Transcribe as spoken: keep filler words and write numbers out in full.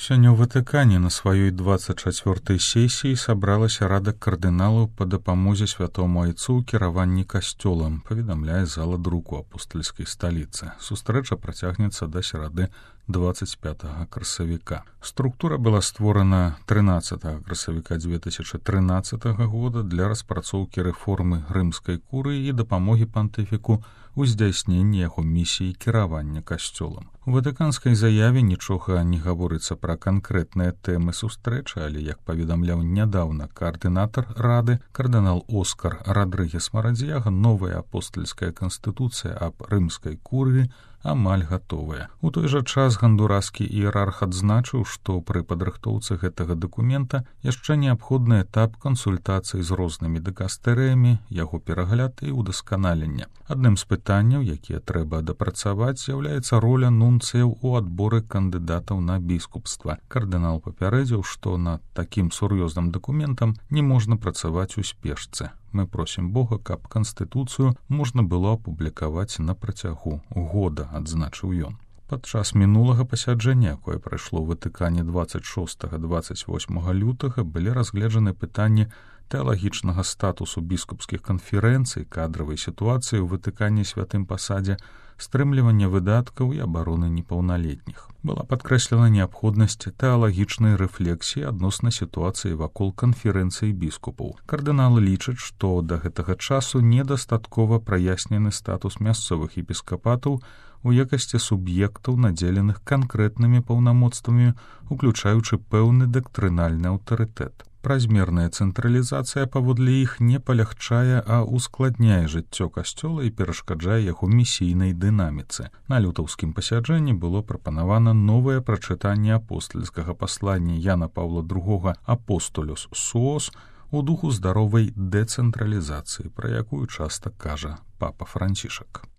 Сёння ў Ватыкане на сваёй двадцать чацвёртай сесіі сабралася рада кардыналаў па дапамозе святому айцу ў кіраванні касцёлам, паведамляе зала друку апостальскай сталіцы. Сустрэча працягнецца да серады двадцать пятага красавіка. Структура была створана трынаццатага красавіка две тысячи трынаццатага года для распрацоўкі рэформы рымскай курыі і дапамогі пантыфіку у здзяйсненні яго місіі кіравання касцёлам. У ватыканскай заяве нічога не гаворыцца пра канкрэтныя тэмы сустрэчы, але, як паведамляў нядаўна каардынатар рады, кардынал Оскар Радрыгес Марадзьяга, новая апостальская канстытуцыя аб рымскай курыі амаль гатовая. У той жа час гандураскі іерарх адзначыў, што пры падрыхтоўцы гэтага дакумента яшчэ неабходны этап кансультацый з рознымі дыкастэрыямі, яго перагляд і ўдасканалення. Адным з пытанняў, якія трэба дапрацаваць, з'яўляецца роля нунцыяў у адборы кандыдатаў на біскупства. Кардынал папярэдзіў, што над такім сур'ёзным дакументам не можна працаваць у спешцы. Мы просім Бога, каб канстытуцыю можна было апублікаваць на працягу года, адзначыў ён. Падчас мінулага пасяджэння, якое прайшло ў Ватыкане двадцать шостага - двадцать восьмага лютага, былі разгледжаны пытанні тэалагічнага статусу біскупскіх канферэнцый, кадравай сітуацыі ў Ватыкане святым пасадзе, стрымлівання выдаткаў і абароны непаўналетніх. Была падкрэслена неабходнасць тэалагічнай рэфлексіі адносна сітуацыі вакол канферэнцыі біскупаў. Кардыналы лічаць, што да гэтага часу недастаткова праяснены статус мясцовых епіскапатаў у якасці суб'ектаў, надзеленых канкрэтнымі паўнамоцтвамі, уключаючы пэўны дактрынальны аўтарытэт. Празмерная цэнтралізацыя паводле іх не палягчае, а ускладняе жыццё касцёла і перашкаджае яго місійнай дынаміцы. На лютаўскім пасяджэнні было прапанавана новае прачытанне апостальскага паслання Яна Паўла другога «Апостолюс суос» у духу здаровай дэцэнтралізацыі, пра якую часта кажа папа Францішак.